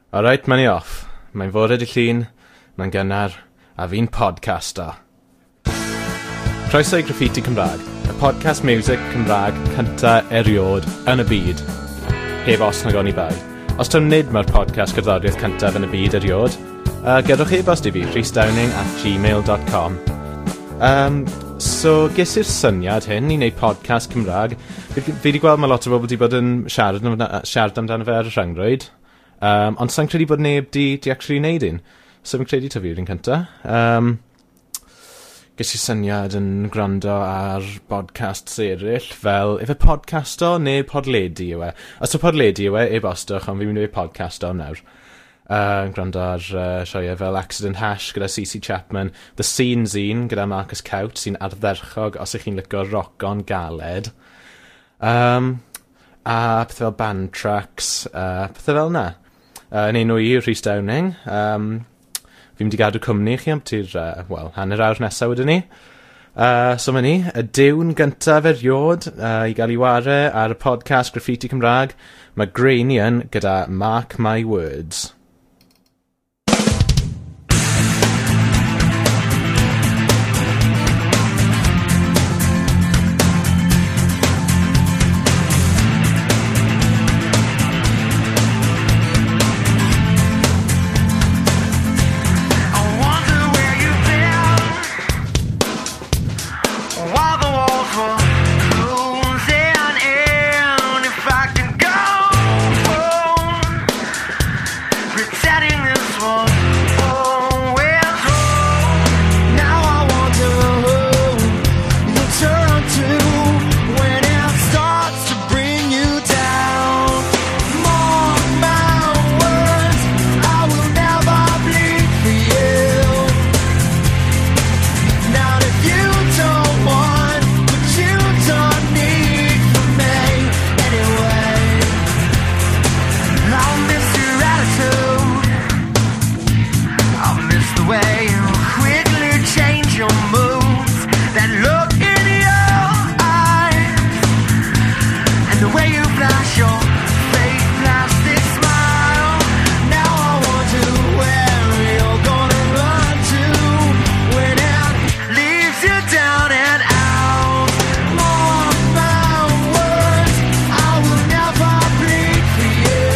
Alright, mae'n i off. Mae'n fore dy llun, mae'n gynnar, a fi'n podcasto. Croeso i Graffiti Cymraeg, y podcast music Cymraeg cynta eriod yn y byd. Heb os nag oni bai. Os taw nid mae'r podcast gerddoriaeth cyntaf yn y byd eriod, gadwch e-bost i fi, rhysdowning@gmail.com. So, ges i'r syniad hyn i wneud podcast Cymraeg. Fi wedi gweld mae lot o bobl wedi bod yn siarad amdano fe ar y rhyngrwyd. Ond sa'n credu bod neb di actually wneud un. So fi'n credu taw fi yw'r un cynta. Ges i syniad yn gwrando ar podcasts eraill fel, ife podcasto neu podledi yw e? Os yw podledi yw e, e-bostwch, ond fi'n mynd i weud podcasto am nawr. Gwrando ar sioeau fel Accident Hash gyda CC Chapman, The Scene Zine gyda Marcus Cout, sy'n ardderchog os ych chi'n licio rock-on galed. A pethau fel Band Tracks, pethau fel yna. Yn enw i yw Rhys Downing. Fi'n mynd i gadw cwmni i chi am ti'r, wel, hanner awr nesaf wedyn ni. So ma' ni, y diwn gyntaf eriod i gael ei ware ar y podcast Graffiti Cymraeg, mae Grainian gyda Mark My Words. Pretending this was always wrong. Now I wonder who you turn to when it starts to bring you down. Mark my words, I will never bleed for you. Not if you don't want what you don't need from me anyway. I'll miss your attitude. I'll miss the way you quickly change your moods. That look in your eyes and the way you flash your fake plastic smile. Now I wonder where you're going to run to when it leaves you down and out. Mark my words, I will never bleed for you.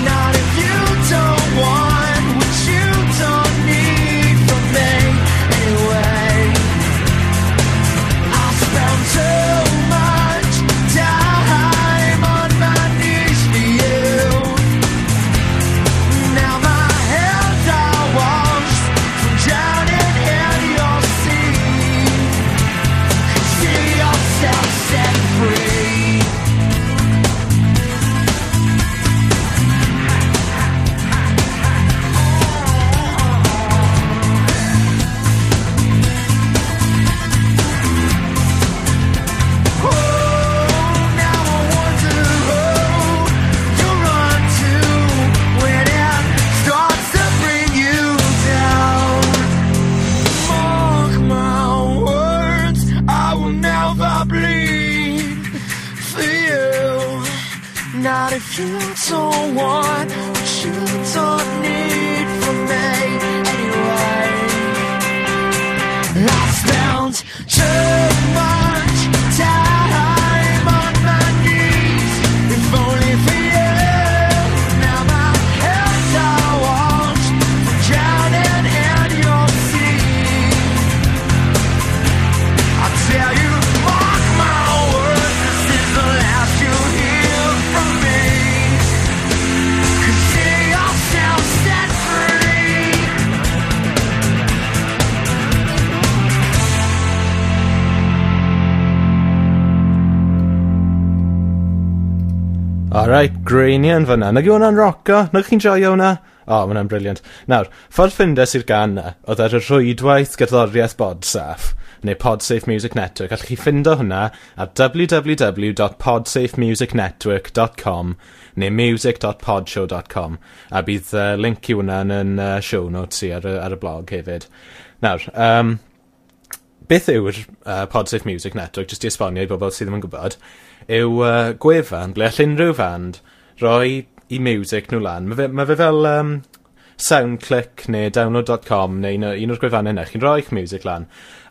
Not if you don't want what you don't need from me anyway. I spend too much time on my knees for you. Now my hands are washed from drowning in your sea. See yourself set free. Not if you don't want what you don't need from me anyway. I spent too much time on my knees, if only for you. Now my hands are washed from drowning in your sea. I tell you, mark my words, this is the last you'll hear from me. Consider yourself set free. Alright, Grainian fyna. Nag yw hwnna'n roco? Nag chi'n joio hwnna? O, ma' hwnna'n brilliant. Nawr, ffordd ffindes i'r gan na, oedd ar y rhwydwaith gerddoriaeth Podsafe, neu Podsafe Music Network. Allwch chi ffindo hwnna ar w w w dot podsafe music network dot com neu music dot podshow dot com. A bydd link i hwnna yn show notes i ar y blog hefyd. Nawr, beth yw'r Podsafe Music Network, jyst i esbonio i bobl sydd ddim yn gwybod, yw gwefan ble all unrhyw fand roi i music nhw lan. Ma fe fel SoundClick neu download.com neu un o'r gwefannau yna. Chi'n rhoi eich music lan.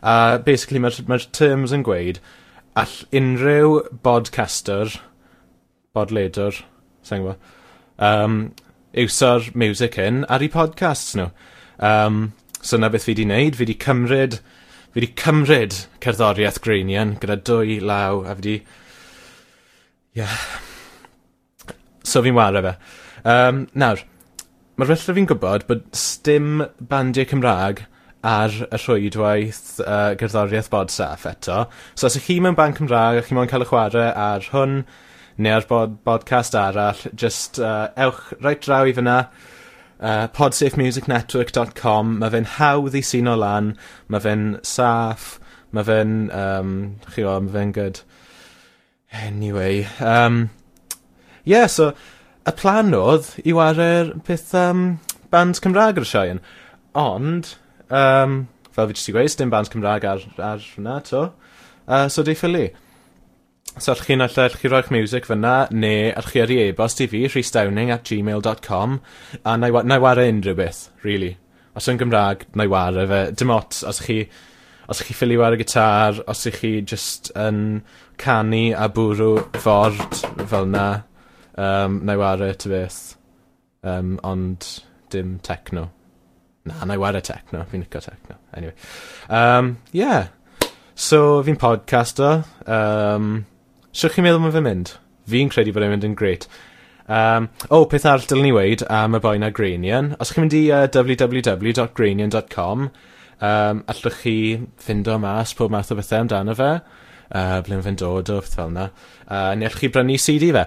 A basically mae'r terms yn gweud all unrhyw podcaster, podledwr, sa'n gwybod, iwso'r music hyn ar eu podcasts nhw. So na beth fi di wneud, fi di cymryd cerddoriaeth Greinian gyda dwy law a fi di. Yeah. So fi'n ware fe. Nawr, mae'r felly fi'n gwybod bod sdim bandiau Cymraeg ar y rhwydwaith gerddoriaeth Bodsaff eto. So os ych chi mewn band Cymraeg a chi moyn cael y chwarae ar hwn neu ar podcast arall, just ewch reit draw i fyna, podsafemusicnetwork.com. Mae fe'n hawdd i seino lan, mae fe'n saff, mae fe'n, chi o, mae fe'n good. Anyway, yeah, so, y plan oedd i ware'r peth band Cymraeg ar y sioe. Ond, fel fi jyst i gweud, dim band Cymraeg ar hwnna to. So di ffili. So allwch chi roi'ch music fyna, neu allwch chi yrru e-bost i fi, rhysdowning@gmail.com, a na i ware unrhyw beth, really. Os yw'n Gymraeg, na i ware fe. Dim ots, os ych chi ffili ware gitar, os ych chi just yn canu a bwrw ford fel na, na i ware ty beth. Ond dim techno. Na, na i ware techno. Fi'n licio techno. Anyway. Yeah. So, fi'n podcaster. Shwt chi'n meddwl mae fe'n mynd? Fi'n credu bod e'n mynd yn great. Oh, peth arall dylwn ni weud am y boi na Greinian. Os chi'n mynd i www.greinian.com, allwch chi ffindo mas pob math o bethau amdano fe, ble mae fe'n dod o, peth fel yna. Neu allwch chi brynu CD fe.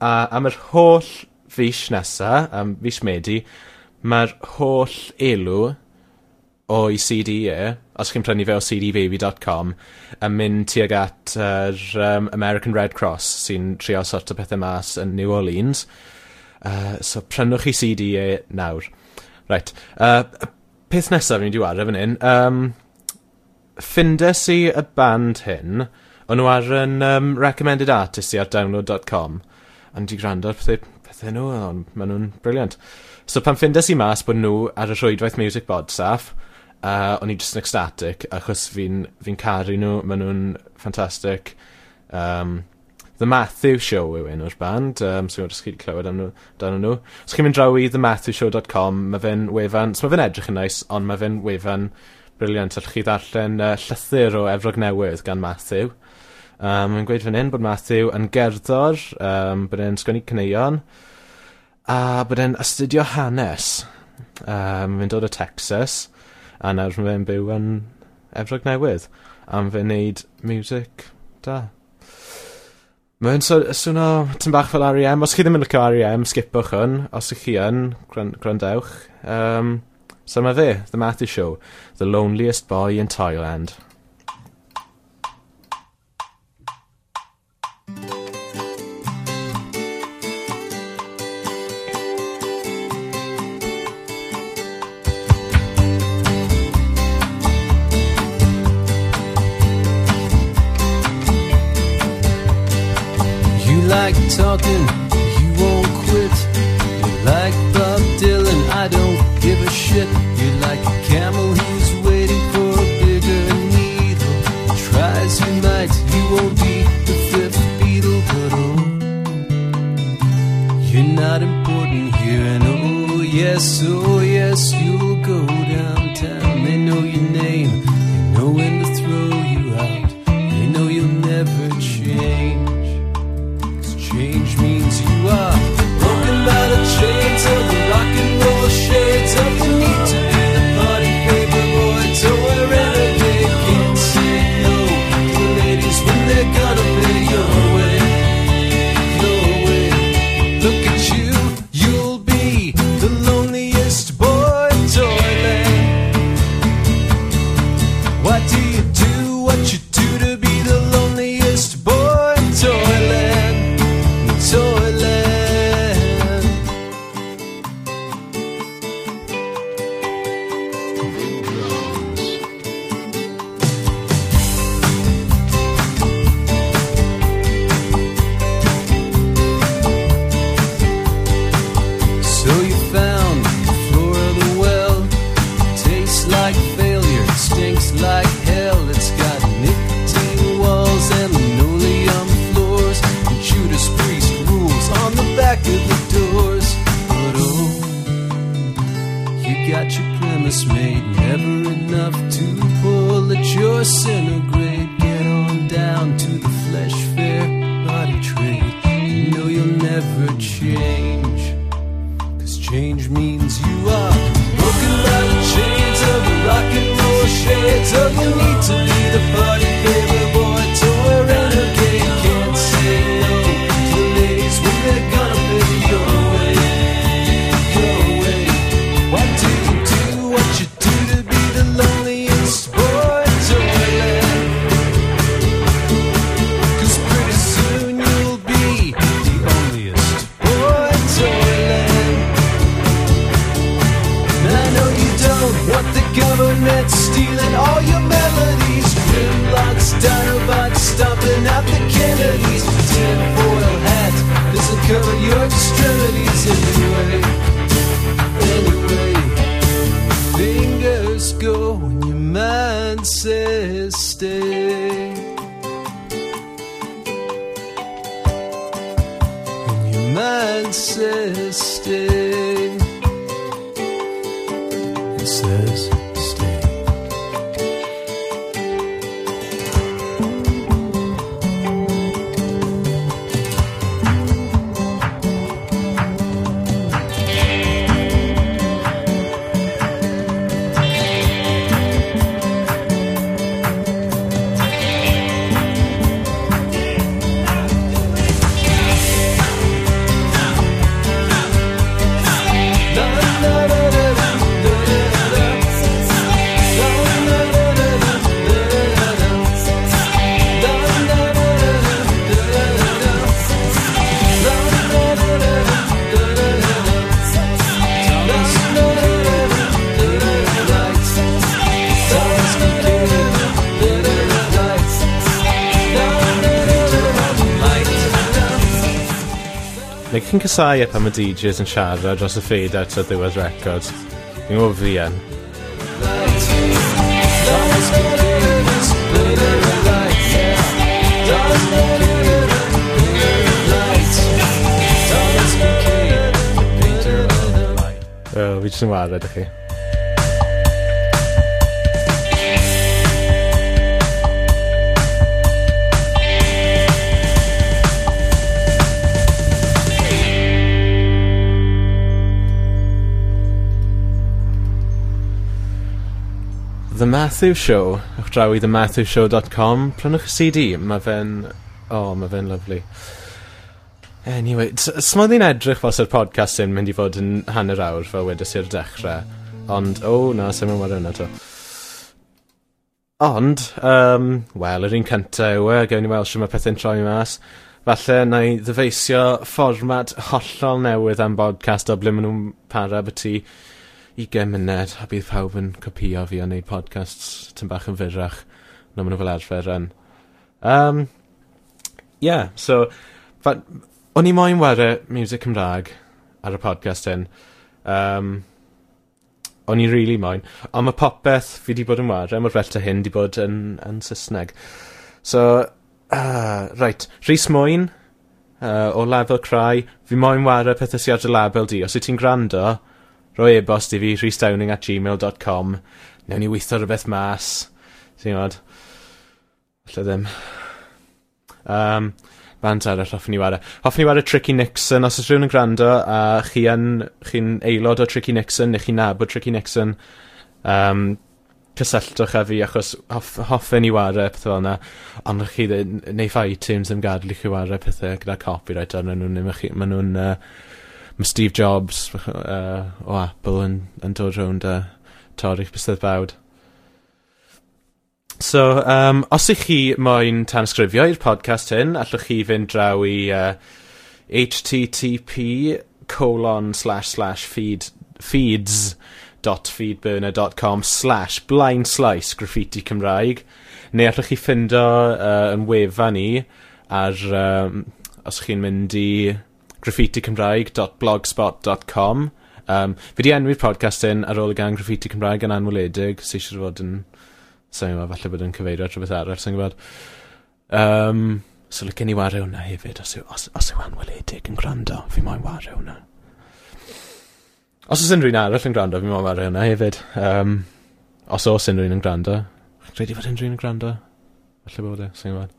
A am yr holl fis nesa, am fis Medi, mae'r holl elw o'i CD e, os chi'n prynu fe o cdbaby.com, yn mynd tuag at yr American Red Cross sy'n trio sorto pethau mas yn New Orleans. So prynwch chi CD e nawr. Right. Peth nesaf fi'n mynd i ware fan hyn, ffindes i y band hyn, o'n nhw ar yn recommended artist i ar download.com, a di gwrando ar pethau nhw, ond maen nhw'n brilliant. So pan ffindes i mas bod nhw ar y rhwydwaith Music Bodsaff, o'n i just yn ecstatic, achos fi caru nhw, maen nhw'n ffantastig. The Matthew Show yw enw'r band, so os chi wedi clywed am nhw, amdano nhw. Os chi'n mynd draw i thematthewshow.com, mae fe'n wefan, so mae fe'n edrych yn nice, ond mae fe'n wefan brilliant. Allwch chi ddarllen llythyr o Efrog Newydd gan Matthew. Mae'n gweud fan hyn bod Matthew yn gerddor, bod e'n sgwennu caneuon, a bod e'n astudio hanes. Mae'n dod o Texas, a nawr mae fe'n byw yn Efrog Newydd. A mae fe'n neud music da. Mae'n so, swno tipyn bach fel R.E.M. Os chi ddim yn licio R.E.M., skipwch hwn. Os ych chi yn, gwrandewch. So mae fe, The Matthew Show, The Loneliest Boy in Toyland. You like talking, you won't quit. You like Bob Dylan, I don't give a shit. You're like a camel who's waiting for a bigger needle. Try as you might, you won't be the fifth Beatle, but oh, you're not important here. And oh yes, you'll go downtown. They know your name, they know when to throw you out. They know you'll never change. 'Cause change means you are broken by the chains of the rock and roll shades of the need to be the party paper boy, toy renegade. Can't say no to the ladies when they're gonna pay your way, your way. Look at you, you'll be the loneliest boy in Toyland. back of the doors. But oh, you got your premise made, never enough to pull at your centigrade. Get on down to the flesh fair body trade. You know you'll never change, 'cause change means you are broken by the chains of the rock and roll shades of the need to be the party favor boy, toy renegade. Can't say no to the ladies when they're gonna pay your way, your way. Why do you do what you do to be the loneliest boy in Toyland? 'Cause pretty soon you'll be the onlyest boy in Toyland. And I know you don't want the government stealing all your melodies. Grimlocks, Dinobots, stomping out the Kennedys. Tinfoil hat doesn't cover your extremities anyway. Anyway, fingers go when your mind says stay. When your mind says stay. It says stay. Neu chi'n casau e pan mae DJs yn siarad dros y fade out o ddiwedd record. Fi'n gwybod fi yn. Oh, fi jyst yn wared i chi. The Matthew Show, ewch draw i thematthewshow.com, prynwch y CD, mae fe'n... Oh, mae fe'n lyfli. Anyway, s'mo ddi'n edrych fel sy'r podcast yn mynd i fod yn hanner awr fel wedes i'r dechrau, ond, oh, na, sy'n mynd hwnna to. Ond, wel, yr un cyntaf yw e, gewn ni weld shwt mae pethau'n troi mas. Falle na i ddyfeisio fformat hollol newydd am podcast o ble maen nhw'n para byti 20 munud, a bydd pawb yn copïo fi a wneud podcasts tyn bach yn fyrrach na maen nhw fel arfer yn. Yeah, so, o'n i moyn ware music Cymraeg ar y podcast hyn. O'n i really moyn. Ond mae popeth fi di bod yn ware, mor bell ta hyn, di bod yn Saesneg. So, right, Rhys Mwyn, o Label Cry, fi moyn ware pethau sy ar dy label di. Os wyt ti'n gwrando, rhoi e-bost i fi, rhysdowning@gmail.com. Newn ni weithio rhywbeth mas. Ti'n gwybod? Falle ddim. Band arall hoffwn i ware. Hoffwn i ware Tricky Nixon. Os oes rhywun yn gwrando a chi'n aelod o Tricky Nixon neu chi'n nabod Tricky Nixon, cysylltwch â fi achos hoffen i ware pethau fel yna. Ond chi ddim, neu iTunes ddim gadael i chi ware pethau gyda copyright arnyn nhw. Neu ma' nhw'n, ma' Steve Jobs o Apple yn dod rownd a torri'ch bysedd bawd. So, os ych chi moyn tanysgrifio i'r podcast hyn, allwch chi fynd draw i H T T P colon slash slash feed, feeds dot feedburner dot com slash blind slice graffiti Cymraeg, neu allwch chi ffindo yn wefan ni ar, os chi'n mynd i graffiti Cymraeg dot blogspot dot com. Fi di enwi'r podcast hyn ar ôl y gan Graffiti Cymraeg yn Anweledig, sy'n siŵr fod yn, sa'n gwybod, falle bod yn cyfeirio at rhywbeth arall, sa'n gwybod. So licen i wario hwnna hefyd, os yw Anweledig yn gwrando, fi moyn wario hwnna. Os oes unrhyw un arall yn gwrando, fi moyn wario hwnna hefyd. Os oes unrhyw un yn gwrando. Chi'n credu fod unrhyw un yn gwrando? Falle bod e, sy'n gwybod.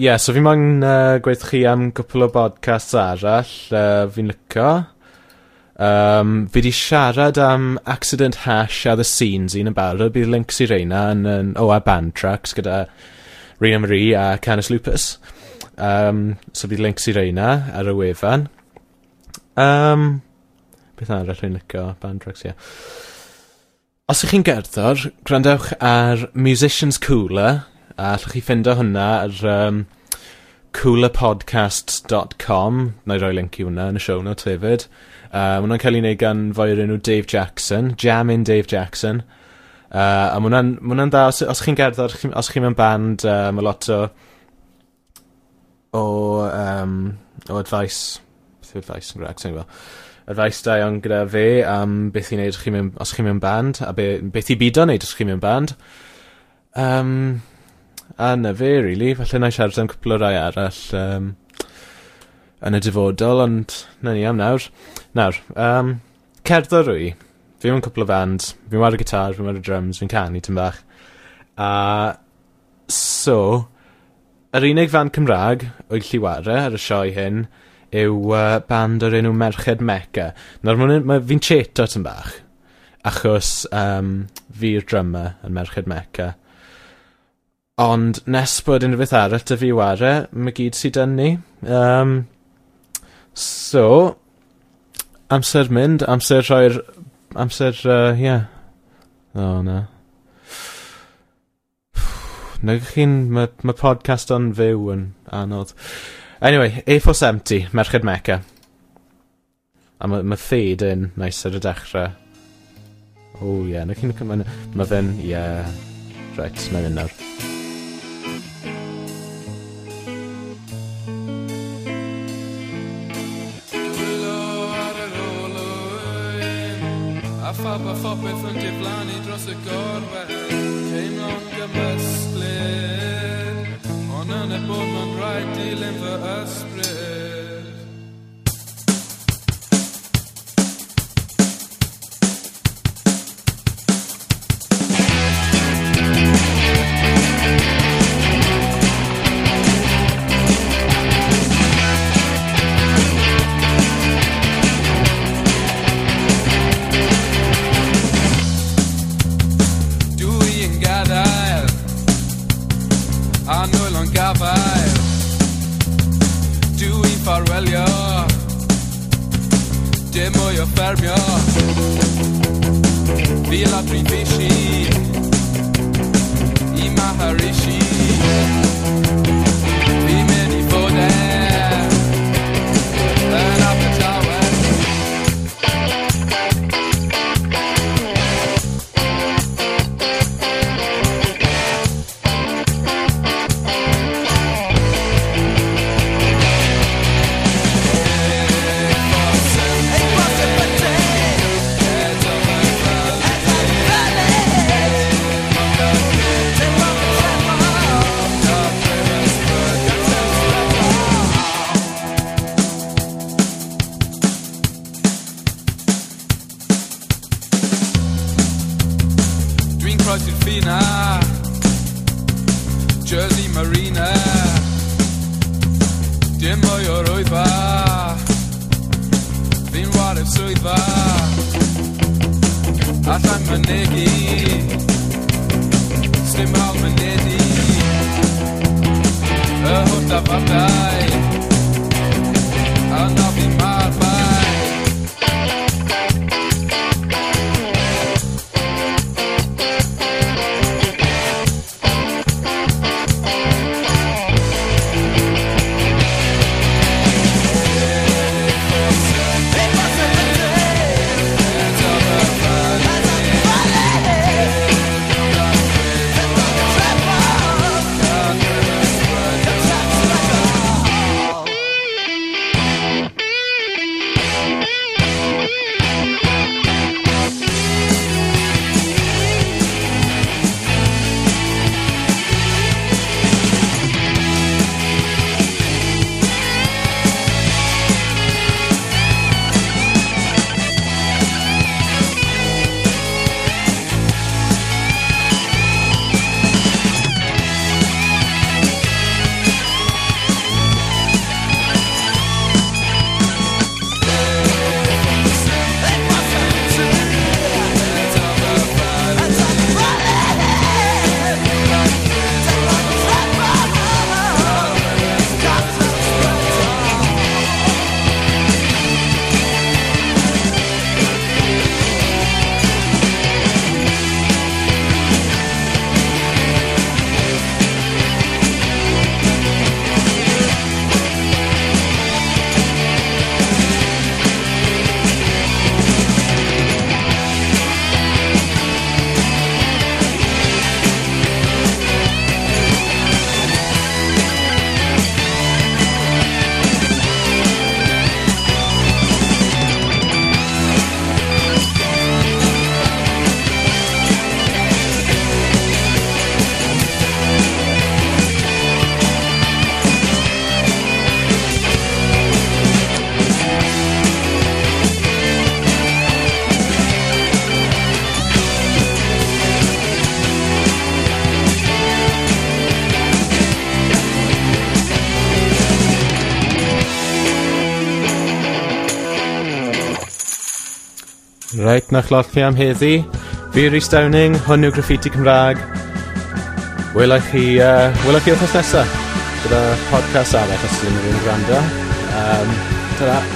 Yeah, so fi moyn gweud chi am gwpl o podcasts arall fi'n licio. Fi di siarad am Accident Hash a The Scenes un yn barod. Bydd links i reina yn a Band Tracks gyda Rina Marie a Canis Lupus. So bydd links i reina ar y wefan. Beth arall fi'n licio? Band Tracks, ie. Yeah. Os ych chi'n gerddor, gwrandewch ar Musicians Cooler, a allwch chi ffindo hwnna ar coolerpodcasts.com. Na i roi link i hwnna yn y show notes hefyd. Ma' hwnna'n cael ei wneud gan foi o'r enw Dave Jackson, Jammin' Dave Jackson. A ma' hwnna'n dda, os chi'n gerddor, os chi mewn band, ma' lot o advice, beth yw advice yn Gymraeg, sa i'n gwbod. Advice da iawn gyda fe am beth i wneud os chi mewn band, a beth i bido wneud os chi mewn band. A na fe, really. Falle na i siarad am cwpl o rai arall yn y dyfodol, ond na ni am nawr. Nawr, cerddor rwy. Fi mewn cwpl o band, fi'n wario gitar, fi'n wario drums, fi'n canu tym bach. A so, yr unig fand Cymraeg o'i gallu ware ar y sioe hyn yw band o'r enw Merched Mecca. Nawr, fi'n cheato tym bach, achos fi'r drummer yn Merched Mecca. Ond nes bod unrhyw beth arall 'da fi i ware, mae gyd sydd 'da ni. So, amser mynd, amser rhoi'r... Amser, ie. O, na. Nag chi'n... Mae podcast on fyw yn anodd. Anyway, A470, Merched Mecca. A mae fade in nice ar y dechrau. O, ie. Yeah, na chi'n... Mae fe'n... Ie. Yeah. Right, na fynd nawr. Dwylo ar yr olwyn, a phawb a phopeth yn diflannu dros y gorwel. Teimlo'n gymysglyd, ond yn y bôn mae'n rhaid dilyn fy ysbryd. Dwi yn gadael a nwylo'n gafael. Dwi'n ffarwelio, dim mwy o ffermio. Fi ladru fishi i Maharishi. Fi'n mynd i fod e yn Abertawe. Dwi'n croesi'r ffina, Jersey Marina. Dim mwy o'r oedfa, fi'n ware'r swyddfa. Allai'n mynegi, sdim hawl mynedi. Y holl dafarnau, yna fi ma'r bai. Thank Reit, 'na lot chi am heddi. Fi Rhys Downing, hwn yw Graffiti Cymraeg. Wela chi wythnos nesa gyda podcast arall os ydyn nhw'n gwrando. Ta-ra.